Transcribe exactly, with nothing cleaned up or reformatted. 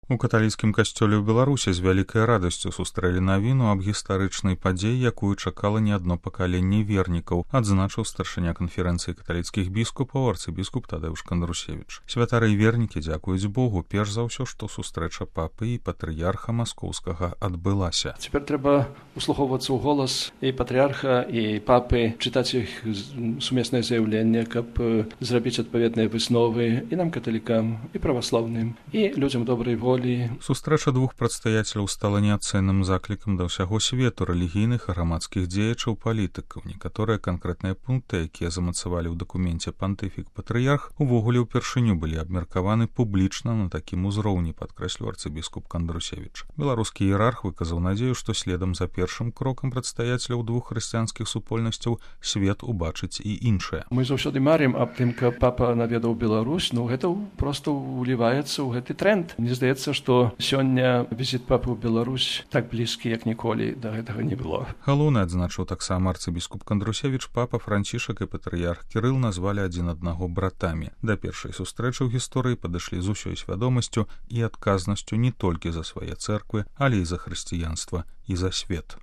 У каталіцкім касцёле ў Беларусі з вялікай радасцю сустрэлі навіну аб гістарычнай падзеі, якую чакала не адно пакаленне вернікаў, адзначыў старшыня канферэнцыі каталіцкіх біскупаў арцыбіскуп Тадэўш Кандрусевіч. Святары і вернікі дзякуюць Богу перш за ўсё, што сустрэча папы і патрыярха маскоўскага адбылася. Цяпер трэба услухоўвацца ў голас і патрыярха, і папы, чытаць іх сумеснае заяўленне, каб зрабіць адпаведныя высновы і нам, каталікам, і праваслаўным, і людзям добрай волі. Сустрэча двух прадстаяцеляў стала неацэнным заклікам да ўсяго свету рэлігійных і грамадскіх дзеячаў палітыкаў. Некаторыя канкрэтныя пункты, якія замацавалі ў дакуменце пантыфік-патрыярх, увогуле ўпершыню былі абмеркаваны публічна на такім узроўні, падкрэсліў арцыбіскуп Кандрусевіч. Беларускі іерарх выказаў надзею, што следам за першым крокам прадстаяцеляў двух хрысціянскіх супольнасцяў свет убачыць і іншае. Мы заўсёды марым аб тым, каб папа наведаў Беларусь, ну гэта проста ўліваецца ў гэты тренд. Мне здаецца, што сёння візіт папы ў Беларусь так блізкі, як ніколі да гэтага не было. Галоўны, адзначыў таксама арцыбіскуп Кандрусевіч, папа Францішак і патрыярх Кірыл назвалі адзін аднаго братамі. Да першай сустрэчы ў гісторыі падышлі з усёй свядомасцю і адказнасцю не толькі за свае цэрквы, але і за хрысціянства і за свет.